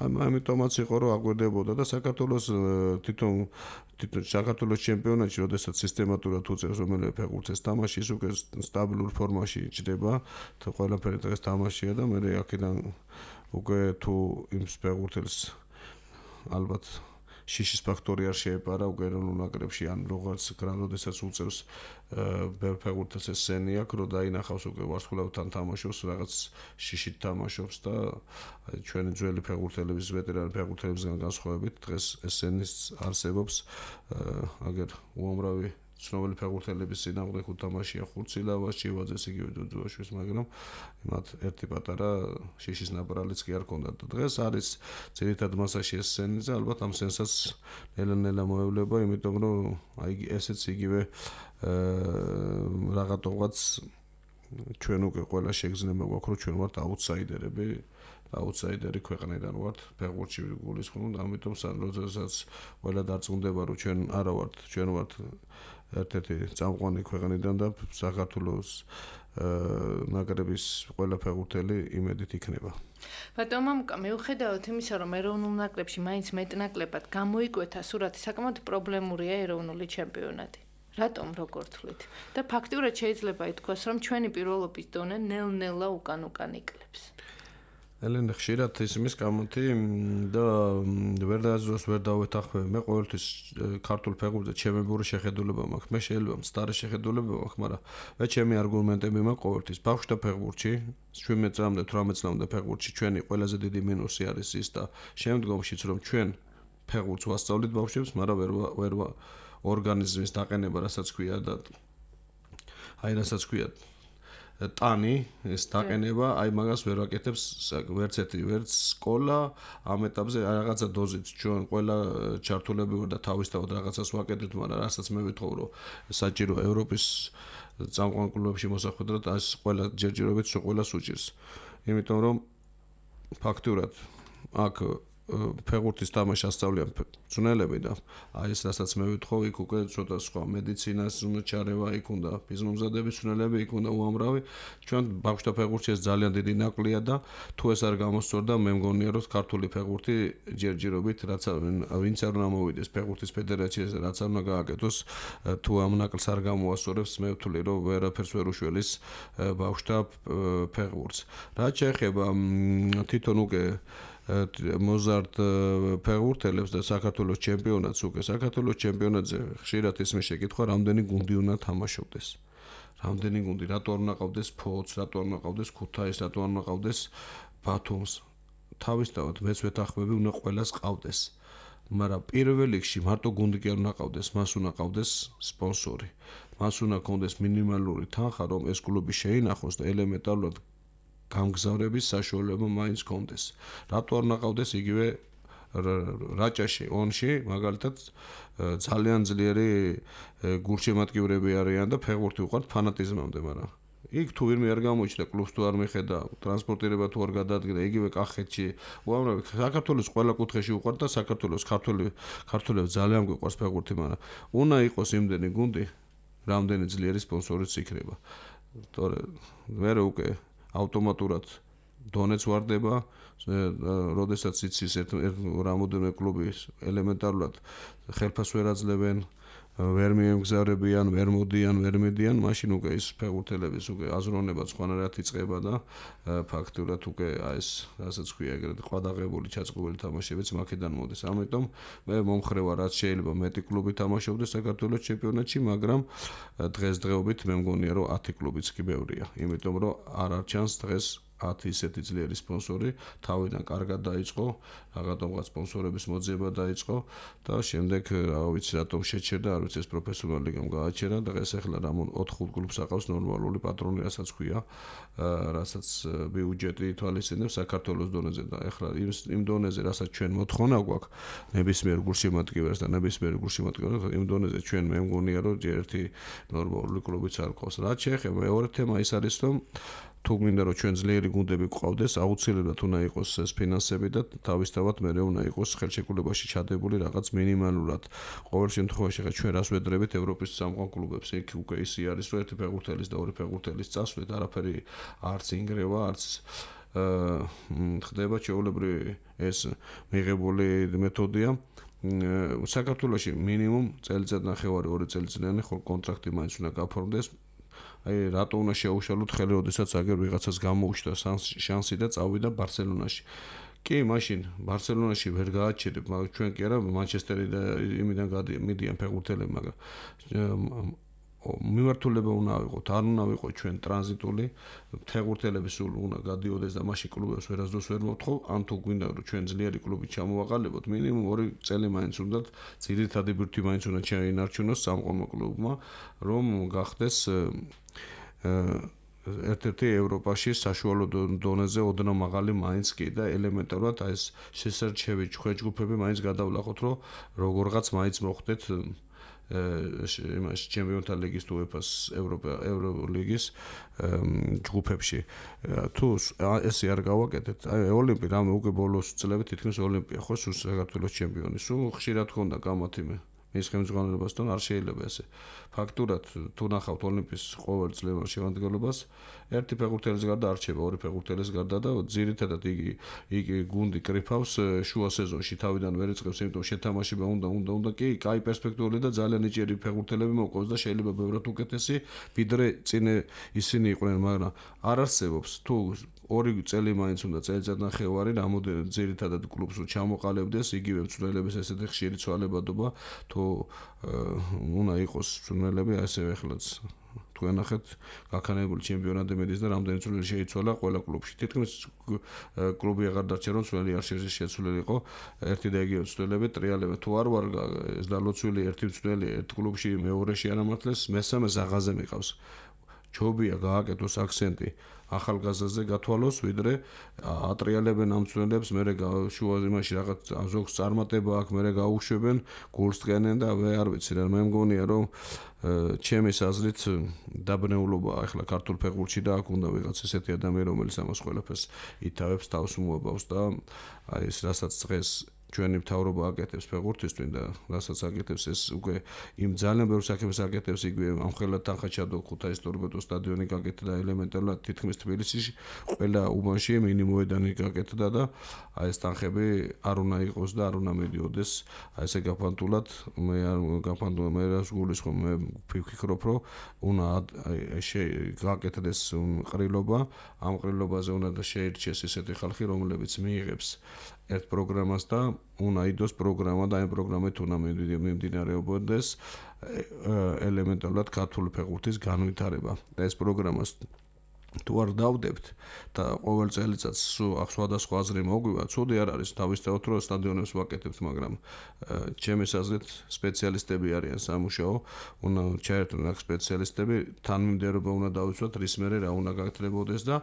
S3: ამიტომაც იყო რომ აგვერდებოდა და საქართველოს თვითონ საქართველოს ჩემპიონატში, როდესაც სისტემატურად უწევს რომელიმე ფეხბურთს თამაში, ის უკვე სტაბილურ ფორმაში იჭდება, ყველაფერი დღეს თამაშია და მე აქედან უკვე თუ იმ ფეხბურთელს ალბათ შიშის ფაქტორი არ შეეპარა უკვე ეროვნულ ნაკრებში ან როგორც როდესაც უწევს ფეხბურთელს ეს სენი აქვს, რომ დაინახავს უკვე ვარსკვლავთან თამაშობს, რაღაც შიშით თამაშობს და ჩვენი ძველი ფეხბურთელების, ვეტერანი ფეხბურთელებისგან განსხვავებით დღეს ეს სენის არსებობს აგერ უამრავი ცნობილი ფეხბურთელების წინააღმდეგ უთამაშია ხურცილავას, ჩივაძეს, იგივე დუდუაშვილს, მაგრამ მათ ერთი პატარა შიშის ნაპრალიც კი არ ქონდათ. დღეს არის ძირითად მასაში ეს სენი და ალბათ ამ სენსაც ნელა-ნელა მოევლება, იმიტომ რომ აი ესეც იგივე რაღაცა ჩვენ უკვე ყველა შეგრძნება გვაქვს, რომ ჩვენ ვართ აუტსაიდერი ქვეყნიდან ვართ ფეხბურთში გულისხმობ და ამიტომ როდესაც ყველა დარწმუნდება რომ ჩვენ ვართ ერთ-ერთი წამყვანი ქვეყნიდან და საქართველოს ნაკრების ყველა ფეხბურთელი იმედით იქნება.
S2: ბატონო მამუკა, მიუხედავად იმისა, რომ ეროვნულ ნაკრებში მაინც მეტნაკლებად გამოიკვეთა სურათი, საკმაოდ პრობლემურია ეროვნული ჩემპიონატი. რატომ როგორ თვლით? და ფაქტიურად შეიძლება ითქვას, რომ ჩვენი პირველობის დონე ნელ-ნელა უკან იკლებს.
S3: ელენე ხშირად ისმის გამოთი და ვერ დაძროს ვერ დავეთანხმები. მე ყოველთვის ქართულ ფეხბურთზე ჩემებური შეხედულება მაქვს. მე შეიძლება მცდარი შეხედულება მაქვს, მაგრამ მე ჩემი არგუმენტები მაქვს ყოველთვის. ბავშვთა ფეხბურთში 17 წლამდე 18 წლამდე ფეხბურთში ჩვენი ყველაზე დიდი მინუსი არის ის და შემდგომშიც რომ ჩვენ ფეხბურთს ვასწავლით ბავშვებს, მაგრამ ვერ ორგანიზმის დაყენება, რასაც ქვია და რასაც ქვია ტანი, ეს დაყენება, აი მაგას ვერ ვაკეთებს ვერც სკოლა, ამ ეტაპზე რაღაცა დოზით ჩვენ ყველა ჩართულები ვარ და თავისთავად რაღაცას ვაკეთებთ, მაგრამ რასაც მე ვითხოვ, რომ საჭირო ევროპის წამყვან კლუბებში მოსახვედრად, ეს ყველა ჯერჯერობით ყველას უჭირს. იმიტომ რომ ფაქტურად აქ ფეხბურთის თამაში ასწავლიან მწვრთნელები და აი ეს რასაც მე ვითხოვ, იქ უკვე ცოტა სხვა მედიცინას უნდა ჩარევა, იქ უნდა ფიზმომზადების მწვრთნელები, იქ უნდა უამრავი. ჩვენ ბავშვთა ფეხბურთში ეს ძალიან დიდი ნაკლია და თუ ეს არ გამოსწორდა, მე მგონია რომ ქართული ფეხბურთი ჯერჯერობით რაც ვინც არ უნდა მოვიდეს ფეხბურთის ფედერაციაზე, რაც არ უნდა გააკეთოს, თუ ამ ნაკლს არ გამოასწორებს, მე ვთვლი რომ ვერაფერს ვერ უშველის ბავშვთა ფეხბურთს. რაც შეეხება თვითონ უკვე მოზარდ ფეხბურთელებს და საქართველოს ჩემპიონატს უკვე საქართველოს ჩემპიონატზე ხშირად ისმის შეკითხვა რამდენი გუნდი უნდა თამაშობდეს. რამდენი გუნდი, რატო არ უნდა ყავდეს ფოთს, რატო არ უნდა ყავდეს ქუთაისს, რატო არ უნდა ყავდეს ბათუმს. თავისთავად მეც ვეთანხმები უნდა ყველას ყავდეს. მაგრამ პირველ რიგში მარტო გუნდი კი არ უნდა ყავდეს, მას უნდა ყავდეს სპონსორი. მას უნდა ქონდეს მინიმალური თანხა, რომ ეს კლუბი შეინახოს და ელემენტარულად გამგზავრების საშუალება მაინც კონდეს. რატო არ ნაყავდეს იგივე რაჭაში, ონში, მაგალითად ძალიან ძლიერი გულშემატკივრები არიან და ფეხბურთი უყვართ ფანატიზმამდე, მაგრამ იქ თუ ვირმე არ გამოიჩნდა, კლუბს თუ არ მიხედა, ტრანსპორტირება თუ არ გადაადგინა, იგივე კახეთში, უამრავი საქართველოს ყველა კუთხეში უყვართ და საქართველოს ქართველებს ძალიან გვიყვარს ფეხბურთი, მაგრამ უნდა იყოს იმდენი გუნდი, რამდენი ძლიერი სპონსორიც იქნება. თორე მე უკვე ავტომატურად დონეც ვარდება, როდესაც იცის რამოდენიმე კლუბი ელემენტარულად ხელფას ვერ აძლევენ, ვერ მიემგზავრებიან, ვერ მოდიან, ვერ მიდიან, მაშინ უკვე ის ფეხბურთელების უკვე აზროვნება სხვანაირად იწყება და ფაქტურად უკვე ეს რასაც ქვია ეგრეთ ყვადაღებული ჩაწყობილი თამაშებიც მაქედან მოდის. ამიტომ მე მომხრე ვარ, რაც შეიძლება მეტი კლუბი თამაშობდეს საქართველოს ჩემპიონატში, მაგრამ დღესდღეობით მე მგონია რომ 10 კლუბიც კი ბევრია. იმიტომ რომ არ არჩანს დღეს 10 ისეთი ძლიერი სპონსორი, თავიდან კარგად დაიწყო, რაღაცა სპონსორების მოძიება დაიწყო და შემდეგ რა ვიცი რატომ შეჩერდა, არ ვიცი ეს პროფესიონალი ლიგამ გააჩერა და დღეს ახლა რა 4-5 კლუბს აყავს ნორმალური პატრონი, რასაც ქვია, რასაც ბიუჯეტი ითვალისწინებს საქართველოს დონეზე და ახლა იმ დონეზე, რასაც ჩვენ მოთხოვნა გვაქვს ნებისმიერ გულშემატკივარს და ნებისმიერ გულშემატკივარს იმ დონეზე ჩვენ მე მგონია რომ ერთი ნორმალური კლუბიც არ ყავს. რაც შეეხება მეორე თემა ის არის რომ თუ მინდა რომ ჩვენ ძლიერი გუნდები გვყავდეს, აუცილებლად უნდა იყოს ეს ფინანსები და თავისთავად მე უნდა იყოს ხელშეკრულებაში ჩადებული რაღაც მინიმალურად. ყოველ შემთხვევაში ხა ჩვენ რას ვედრებით ევროპის სამყარო კლუბებს, იქ უკვე ისი არის რომ ერთი ფეხბურთელის და ორი ფეხბურთელის წასვლით არაფერი არც ინგრევა, არც ხდება ჩვეულებრივი ეს მიღებული მეთოდია. საქართველოში მინიმუმ წელიწად ნახევარი 2 წელიწადიანი ხო კონტრაქტი მაინც უნდა გაფორმდეს. აი რატო უნდა შეუშალოთ ხელი, როდესაც აგერ ვიღაცას გამოუჩნდა შანსი და წავიდა ბარსელონაში. კი, მაშინ ბარსელონაში ვერ გააჩერებ, მაგრამ ჩვენ კი არა მანჩესტერი და იმიდან მიდიან ფეხბურთელები, მაგრამ მიმართულება უნდა ავიღოთ, არ უნდა ვიყო ჩვენ ტრანზიტული, ფეხბურთელები სულ უნდა გადიოდეს და მაშინ კლუბებს ვერასდროს ვერ მოთხოვ, ან თუ გვინდა რომ ჩვენ ძლიერი კლუბი ჩამოვაყალიბოთ, მინიმუმ 2 წელი მაინც უნდათ ძირითადი ბირთვი მაინც უნდა ჩაინარჩუნოს სამყარო კლუბმა, რომ გახდეს ერთ-ერთი ევროპაში საშუალო დონეზე ოდნავ მაღალი მაინც კი და ელემენტარულად აი ეს შესარჩევი ჯგუფები მაინც გადავლახოთ, რომ როგორღაც მაინც მოხდეთ იმას ჩემპიონთა ლიგის თუ UEFA-ს ევროლიგის ჯგუფებში. თუ ესე არ გავაკეთეთ, აი ოლიმპი რამე უკვე ბოლოს წლები თითქმის ოლიმპია ხო სულ საქართველოს ჩემპიონი. სულ ხშირად ხონდა გამათიმე მის ხელმძღვანელობასთან არ შეიძლება ესე. ფაქტურად თუ ნახავთ ოლიმპის ყოველ წლევარ შემადგენლობას, ერთი ფეხბურთელის გარდა არ რჩება, 2 ფეხბურთელის გარდა და ძირითადად იგი გუნდი კრიფავს შუა სეზონში თავიდან ვერ იწყებს, იმიტომ შეთამაშება უნდა კი, კაი პერსპექტიული და ძალიან ნიჭიერი ფეხბურთელები მოყვავს და შეიძლება ბევრად უკეთესი ვიდრე წინ ისინი იყვნენ, მაგრამ არ არსებობს თუ 2 წელი მაინც უნდა წელიწად ნახევარი რამოდენად ძირითადად კლუბს ჩამოყალიბდეს იგივე მწვრთნელების ესეთი ხშირი ცვალებადობა თუ უნდა იყოს მწვრთნელები ასევე ახლაც თუ ენახეთ გაქანებული ჩემპიონატი მედის და რამდენი წვლილი შეიცვალა ყველა კლუბში. თითქმის კლუბი აღარ დარჩა რომ წვლილი არ შეცვლილიყო ერთი და იგივე მწვრთნელები ტრიალებენ. თუ არ ვარ ეს დალოცვილი ერთი მწვრთნელი ერთ კლუბში მეორეში არამართლეს, მესამეს აღაზე მიყავს. ჯობია გააკეთოს აქცენტი ახალგაზრდაზე გათვალოს, ვიდრე ატრიალებენ ამ მწვრთნელებს, მერე შუა იმაში რაღაც ზოგს წარმატება აქვს, მერე გაუშვებენ, გულს დგენენ და არ ვიცი რა, მე მგონია რომ ჩემი აზრით დაბნეულობა ახლა ქართულ ფეხბურთში და აქ უნდა ვიღაც ესეთი ადამიანი, რომელიც ამას ყველაფერს ითავებს, თავს მოაბავს და აი ეს რასაც დღეს ჩვენი მთავრობა აკეთებს ფეხბურთისთვის და რასაც აკეთებს ეს უკვე იმ ძალიან ბევრ საქმეს აკეთებს იგივე ამხელად თანხაჩადო ქუთაისის ტორპედოს სტადიონი გაკეთდა 엘ემენტარულად თითქმის თბილისში ყველა უბანში მინიმუმედანი გაკეთდა და აი ეს თანხები არ უნდა იყოს და არ უნდა მიდიოდეს აი ესე გაფანტულად მე რას გულისხმობ მე ვფიქრობ რომ უნდა გაკეთდეს ყრილობა ამ ყრილობაზე უნდა შეირჩეს ესეთი ხალხი რომლებიც მიიღებს ერთ პროგრამას და უნდა იდოს პროგრამა და ამ პროგრამით უნდა მიმდინარეობოდეს ელემენტარულად ქართული ფეხბურთის განვითარება და ეს პროგრამას თუ არ დავდებთ და ყოველ წელიწადს სხვადასხვა აზრი მოგვივა, ცუდი არ არის თავისთავად რომ სტადიონებს ვაკეთებთ, მაგრამ ჩემი აზრით სპეციალისტები არიან სამუშაო, უნდა ჩაერთონ აქ სპეციალისტები, თანმიმდევრობა უნდა დავიცვათ, რის მერე რა უნდა გაკეთებოდეს და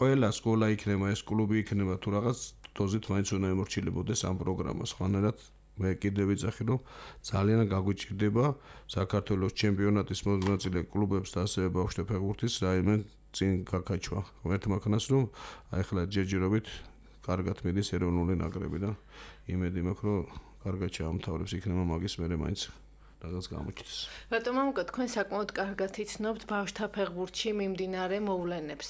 S3: ყველა სკოლა იქნება, ეს კლუბი იქნება თუ რაღაც დოზით მაინც უნდა ემორჩილებოდეს ამ პროგრამას. ხანერად მე კიდევ ვიცახი რომ ძალიან გაგვიჭირდება საქართველოს ჩემპიონატის მონაწილე კლუბებს და ასევე ბავშვთა ფეხბურთის რაიმე წინ გაკაჩვა. ერთმა ქნას რომ აი ახლა ჯერჯერობით კარგად მიდის ეროვნული ნაკრები და იმედი მაქვს რომ კარგად ჩაამთავრებს იქნება მაგის მერე მაინც რაღაც გამოჩნდეს.
S2: რატომ ამක თქვენ საკმაოდ კარგად იცნობთ ბავშვთა ფეხბურთში მიმდინარე მოვლენებს.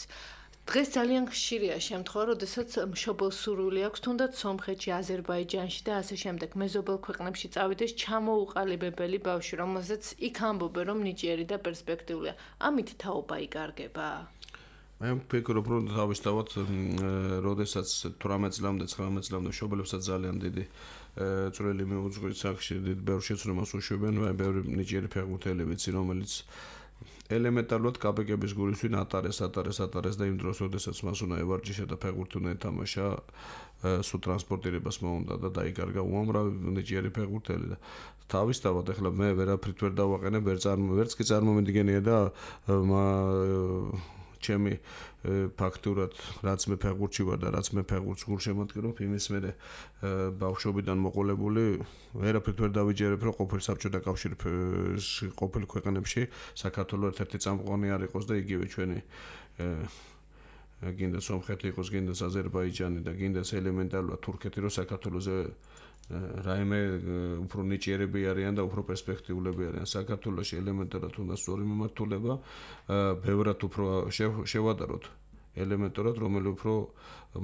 S2: დღეს ძალიან ხშირია შემთხვევა, როდესაც მშობელ სურვილი აქვს თუნდაც სომხეთში, აზერბაიჯანში და ასე შემდეგ მეზობელ ქვეყნებში წავიდეს ჩამოუყალიბებელი ბავშვი, რომელზეც იქ ამბობენ, რომ ნიჭიერი და პერსპექტიულია. ამით თაობა იკარგება?
S3: მე ვფიქრობ, რომ თავისთავად, როდესაც 18 წლამდე, 19 წლამდე მშობლებსაც ძალიან დიდი წვლილი მიუძღვის აქში, დიდ ბევრ შეცდომას უშვებენ, ბევრი ნიჭიერი ფეხბურთელი ვიცი, რომელიც ელემენტარულად კაპიკების გულისვინ ატარეს და იმ დროს, როდესაც მას უნდა ევარჯიშა და ფეხბურთი უნდა ეთამაშა, სულ ტრანსპორტირებას მოუნდა და დაიკარგა უამრავი ნიჭიერი ფეხბურთელი და თავისთავად ახლა მე ვერაფრით ვერ დავაყენებ, ვერც კი წარმომიდგენია და ჩემი ფაქტურად რაც მე ფეხბურთში ვარ და რაც მე ფეხბურთს გულშემატკივრობ, იმის მერე ბავშვობიდან მოყოლებული ვერაფრით ვერ დავიჯერებ, რომ ყოფილ საბჭოთა კავშირში ყოფილ ქვეყნებში საქართველოს ერთ-ერთი წამყვანი არ იყოს და იგივე ჩვენი გინდა სომხეთი იყოს, გინდა აზერბაიჯანი და გინდა ელემენტარულად თურქეთი, რომ საქართველოზე რაიმე უფრო ნიჭიერები არიან და უფრო პერსპექტიულები არიან. საქართველოში ელემენტარად უნდა სწორი მიმართულება, ბევრად უფრო შევადაროთ ელემენტარად, რომელიც უფრო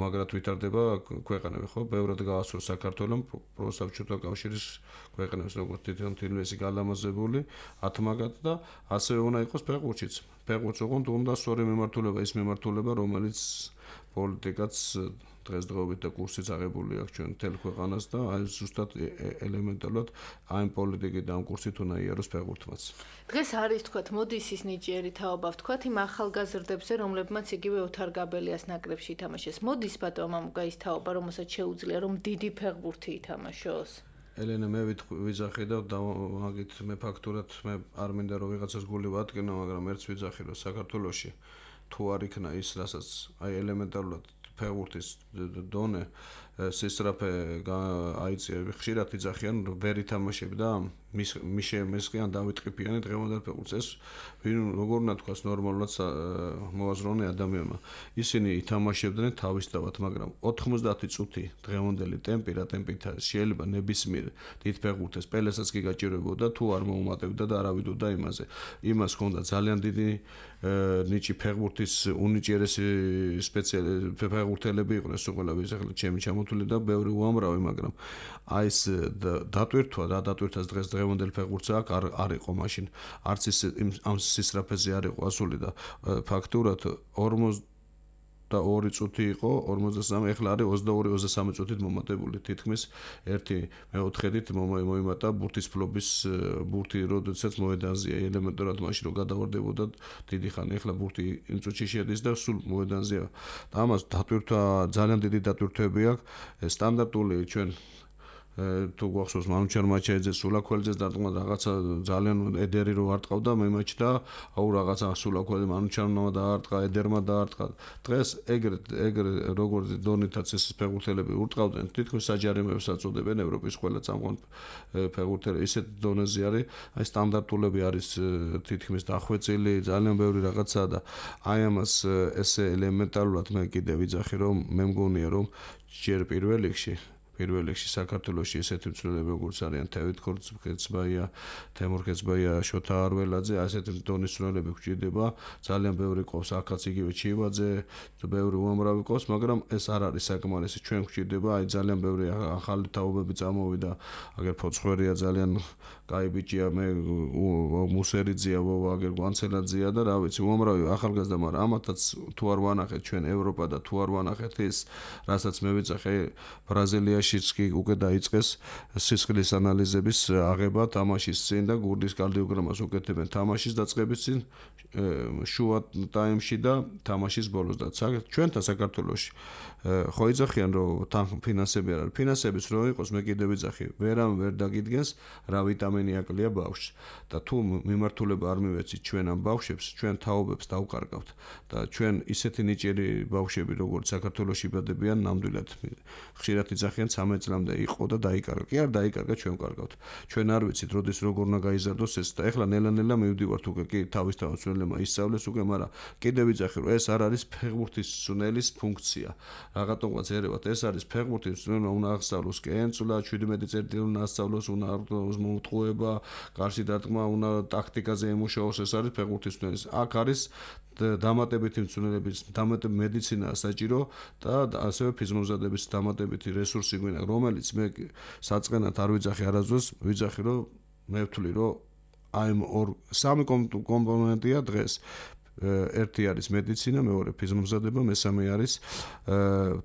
S3: მაგრად ვითარდება ქვეყნები, ხო? ბევრად გაასწორს საქართველოს პროსაბჭოთა კავშირის ქვეყნებს, როგორც თვითონთილვესი გალამაზებული, ათმაგად და ასევე უნდა იყოს ფეხბურთშიც. ფეხბურთს უნდა სწორი მიმართულება, ის მიმართულება, რომელიც პოლიტიკაც დღესდღეობით და კურსიც აღებული აქვს ჩვენ მთელ ქვეყანას და აი ზუსტად ელემენტარულად აი პოლიტიკით და ამ კურსით უნდა იაროს ფეხბურთმაც.
S2: დღეს არის თქვათ მოდის ის ნიჭიერი თაობა ვთქვათ იმ ახალგაზრდებზე, რომლებმაც იგივე ოთარ გაბელიას ნაკრებში ითამაშეს. მოდის ბატონო მამუკა ის თაობა, რომელსაც შეუძლია რომ დიდი ფეხბურთი ითამაშოს?
S3: ელენე მე ვიძახი და მაგით მე ფაქტურად მე არ მინდა რომ ვიღაცას გული ვატკინო, მაგრამ ერთს ვიძახი რომ საქართველოში თუ არ იქნა ის, რასაც აი ელემენტარულად ფეხბურთის დონე სისწრაფე აიწია, ხშირად იძახიან ვერ ითამაშებდა მისყიან დავით ყიფიანი დღევანდელ ფეხბურთს. ეს როგორ უნდა თქვას ნორმალურად მოაზროვნე ადამიანმა. ისინი ითამაშებდნენ თავისთავად, მაგრამ 90 წუთი დღევანდელი ტემპი, რა ტემპით შეიძლება ნებისმიერ დიდ ფეხბურთეს პელესაც კი გაჭირებოდა, თუ არ მოუმატებდა და არავიდოდა იმაზე. იმას ჰქონდა ძალიან დიდი ნიჭი ფეხბურთის უნიჭიერესი ფეხბურთელები იყვნენ სულ ახლა ჩემი ჩამოთვლილი და ბევრი უამრავი, მაგრამ აი ეს დატვირთვას დღევანდელ ფეხბურთს არ იყო მაშინ. არც ის ამ სისწრაფეზე არ იყო ასული და ფაქტურად 42 წუთი იყო, 43, ეხლა არის 22-23 წუთით მომატებული. თითქმის ერთი მეოთხედით მოიმატა ბურთის ფლობის ბურთი, როდესაც მოედანზეა ელემენტარად მაშინ რომ გადავარდებოდა დიდი ხანი, ეხლა ბურთი იმ წუთში შედის და სულ მოედანზეა. და ამას დატვირთვა ძალიან დიდი დატვირთვები აქვს. სტანდარტული ჩვენ თუ გვახსოვს მანუჩარ მაჩაიძეს, სულაქველიძეს დარტყმა რაღაცა ძალიან ედერი რო არტყავდა მე მაჩ და აუ რაღაცა სულაქველიძე მანუჩარმა დაარტყა, ედერმა დაარტყა. დღეს ეგრე როგორც დონითაც ეს ფეხბურთელები ურტყავდნენ, თითქოს საჯარიმოებს აწოდებენ ევროპის ყველა წამყვან ფეხბურთელი. ისეთ დონეზე არის, აი სტანდარტულები არის თითქმის დახვეწილი, ძალიან ბევრი რაღაცაა და აი ამას ესე ელემენტარულად მე კიდევ ვიძახი რომ მე მგონია რომ ჯერ პირველ რიგში საქართველოში ესეთი მცველები როგორც არიან თევით ქორწბაია, თემურ ქეცბაია, შოთა არველაძე, ასეთი დონის მცველები გვჭირდება, ძალიან ბევრი ყავს აქაც იგივე ჩივაძე, ბევრი უამრავი ყავს, მაგრამ ეს არ არის საკმარისი, ჩვენ გვჭირდება, აი ძალიან ბევრი ახალი თაობები წამოვიდა, აგერ ფოცხვერია ძალიან კაი ბიჭია, მე მუსერიძია, აგერ გვანცელაძია და რა ვიცი, უამრავი ახალგაზრდა, მაგრამ ამათაც თუ არ ვანახეთ ჩვენ ევროპა და თუ არ ვანახეთ ის, რასაც მე ვიძახე ბრაზილიაში კი უკვე დაიწყეს სისხლის ანალიზების აღება თამაშის წინ და გურდის კარდიოგრამას უკეთებენ თამაშის დაწყების წინ, შუა ტაიმში და თამაშის ბოლოს და ჩვენთან საქართველოში ხო იძახიან რომ თან ფინანსები არ არის. ფინანსებიც რო იყოს, მე კიდევ ვიძახი, ვერ დაგიდგენს რა ვიტამინი აკლია ბავშვს და თუ მიმართულება არ მივეცით ჩვენ ამ ბავშვებს, ჩვენ თაობებს დავკარგავთ და ჩვენ ისეთი ნიჭიერი ბავშვები როგორც საქართველოში იბადებიან ნამდვილად ხშირად იძახიან 13 წლამდე იყო და დაიკარგა. კი არ დაიკარგა, ჩვენ ვკარგავთ. ჩვენ არ ვიცით როდის როგორ უნდა გაიზარდოს ეს და ეხლა ნელა-ნელა მივდივართ უკვე კი თავისთავად ცვლილებმა ისწავლეს უკვე, მაგრამ კიდევ ვიძახი რომ ეს არ არის ფეხბურთის ცვლილის ფუნქცია. რაღაცნაირად ერევათ, ეს არის ფეხბურთის ცვლილება, უნდა აღსწავლოს კენწვლა, 17 წერტილი უნდა ასწავლოს, უნდა აღწავლოს მოტყუება, გარსი დარტყმა, უნდა ტაქტიკაზე ემუშაოს, ეს არის ფეხბურთის ცვლილი. აქ არის დამატებითი მცველების, დამატებითი მედიცინა საჭირო და ასევე ფიზმომზადების დამატებითი რესურსი გვინდა, რომელიც მე საწყენად არ ვიძახი არასდროს, ვიძახი რომ მე ვთვლი რომ აი სამი კომპონენტია დღეს. ერთი არის მედიცინა, მეორე ფიზმომზადება, მესამე არის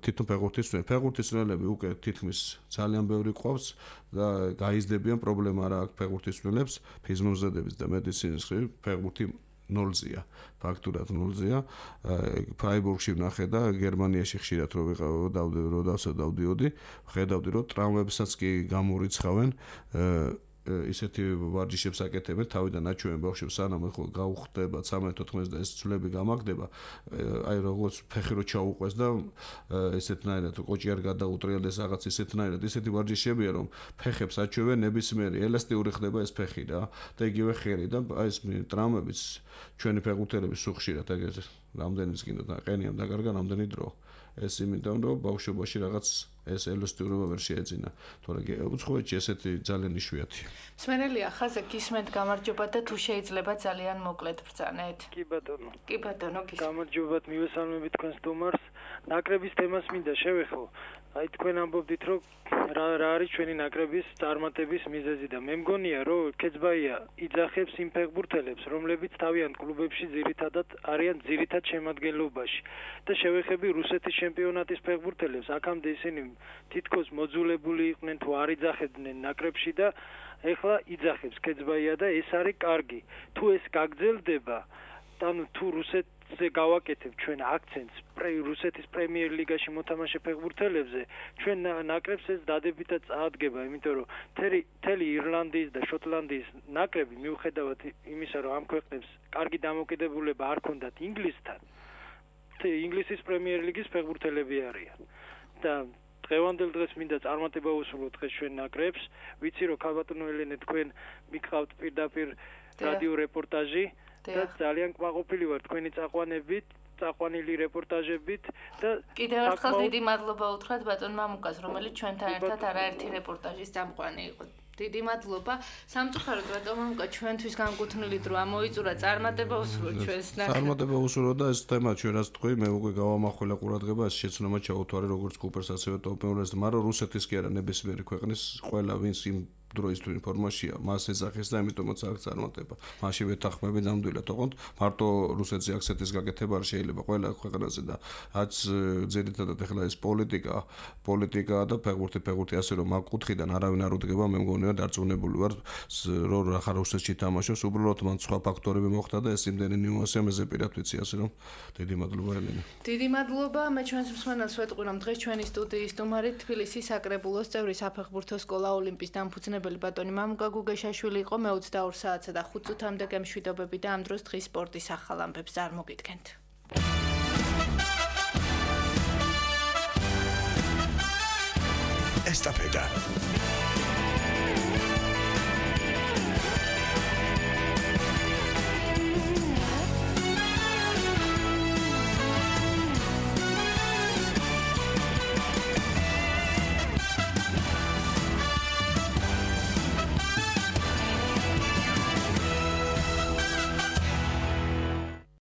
S3: თვითონ ფეხბურთის ცვლილება. ფეხბურთის ცვლილები უკვე თითქმის ძალიან ბევრი ყავს და გაიზრდებიან პრობლემა რა აქვს ფეხბურთის ცვლილებს, ფიზმომზადების და მედიცინის მხრივ ფეხბურთი 0-ზეა. ფაქტურად 0-ზეა. ფრაიბურგში ვნახე და გერმანიაში ხშირად რო დავდიოდი, ხედავდი რომ ტრავმებსაც კი გამორიცხავენ ისეთი ვარჯიშებს აკეთებენ თავიდან აჩვენებენ ბავშვებს სანამ ხო გაუხდება 13-14 და ეს ცვლები გამაგდება აი როგორც ფეხი რო ჩაუყვეს და ესეთნაირად კოჭი არ გადაუტრიალდეს რაღაც ესეთნაირად ისეთი ვარჯიშებია რომ ფეხებს აჩვენებენ ნებისმიერი ელასტიური ხდება ეს ფეხი რა და იგივე ხელი და აი ეს ტრავმებიც ჩვენი ფეხბურთელების სუხშირად ეგრე რამდენიც კიდე და ყენიამ დაკარგა რამდენი დრო ეს იმიტომ რომ ბავშვობაში რაღაც ეს ელასტიურობა ვერ შეეძინა თორე უცხოეთში ესეთი ძალიან იშვიათია
S2: მსმენელია ხაზე გისმენთ გამარჯობა და თუ შეიძლება ძალიან მოკლედ ბრძანეთ
S5: კი ბატონო
S2: გისმენთ
S5: გამარჯობათ მივესალმებით თქვენს სტუმარს ნაკრების თემას მინდა შევეხო აი თქვენ ამბობდით რომ რა არის ჩვენი ნაკრების წარმატების მიზეზი და მე მგონია რომ კეცბაია იძახებს იმ ფეხბურთელებს რომლებიც თავიანთ კლუბებში ძირითადად არიან ძირითად შემადგენლობაში და შევეხები რუსეთის ჩემპიონატის ფეხბურთელებს აქამდე ისინი თითქოს მოძულებული იყვნენ თუ არ იძახებდნენ ნაკრებში და ეხლა იძახებს კეცბაია და ეს არის კარგი თუ ეს გაგრძელდება ანუ თუ რუსეთზე გავაკეთებ ჩვენ აქცენტს რუსეთის პრემიერ ლიგაში მოთამაშე ფეხბურთელებზე ჩვენ ნაკრებს ეს დადებითად წაადგება იმიტომ რომ მთელი ირლანდიის და შოტლანდიის ნაკრები მიუხედავად იმისა რომ ამ ქვეყნებს კარგი დამოკიდებულება არ ქონდათ ინგლისთან ინგლისის პრემიერ ლიგის ფეხბურთელები არიან და დღევანდელ დღეს მინდა წარმატება უსურვოთ დღეს ჩვენ ნაკრებს ვიცი რომ ქალბატონო ელენე თქვენ მიგყავთ პირდაპირ რადიო რეპორტაჟი და ძალიან კმაყოფილი ვარ თქვენი წაყვანილი რეპორტაჟებით და
S2: კიდევ ერთხელ დიდი მადლობა უთხრათ ბატონ მამუკას რომელიც ჩვენთან ერთად არაერთი რეპორტაჟის წამყვანი იყო დიდი მადლობა სამწუხაროდ ბატონ მამუკა ჩვენთვის განკუთვნილი დრო ამოიწურა წარმატება უსურვოთ ჩვენს ნაკრებს
S3: წარმატება უსურვოთ და ეს თემა ჩვენ რაც თქვი მე უკვე გავამახვილა ყურადღება ეს შეცნობა ჩაუთვარე როგორც კუპერს ასევე ტოპ-1-ს მაგრამ რუსეთის კი არა ნებისმიერი ქვეყნის ყველა ვინც იმ დროის თუ ინფორმაცია მას ეძახეს და ამიტომაც აქ წარმატება. მაშინ ვეთანხმები ნამდვილად, ოღონდ მარტო რუსეთზე აქცენტის გაკეთება არ შეიძლება ყველა ქვეყანაზე და რაც ძირითადად ახლა ეს პოლიტიკა და ფეხბურთი ასე რომ აქ კუთხიდან არავინ არ უდგება, მე მგონია დარწმუნებული ვარ რომ ახლა რუსეთში თამაშობს, უბრალოდ მან სხვა ფაქტორები მოხდა და ეს იმდენი ნიუანსია მეზე პირად ვიცი ასე რომ დიდი მადლობა ელენე.
S2: დიდი მადლობა, მე ჩვენს მსმენელს ვეტყვი რომ დღეს ჩვენი სტუდიის სტუმარი თბილისის საკრებულოს წევრი საფეხბურთო სკოლა ოლიმპის დამფუძნებელი ბატონი მამუკა გუგეშაშვილი იყო მე 22 საათსა და 5 წუთამდე გემშვიდობები და ამ დროს დღის სპორტის ახალ ამბებს არ მოგიდგენთ.
S1: ესტაფეტა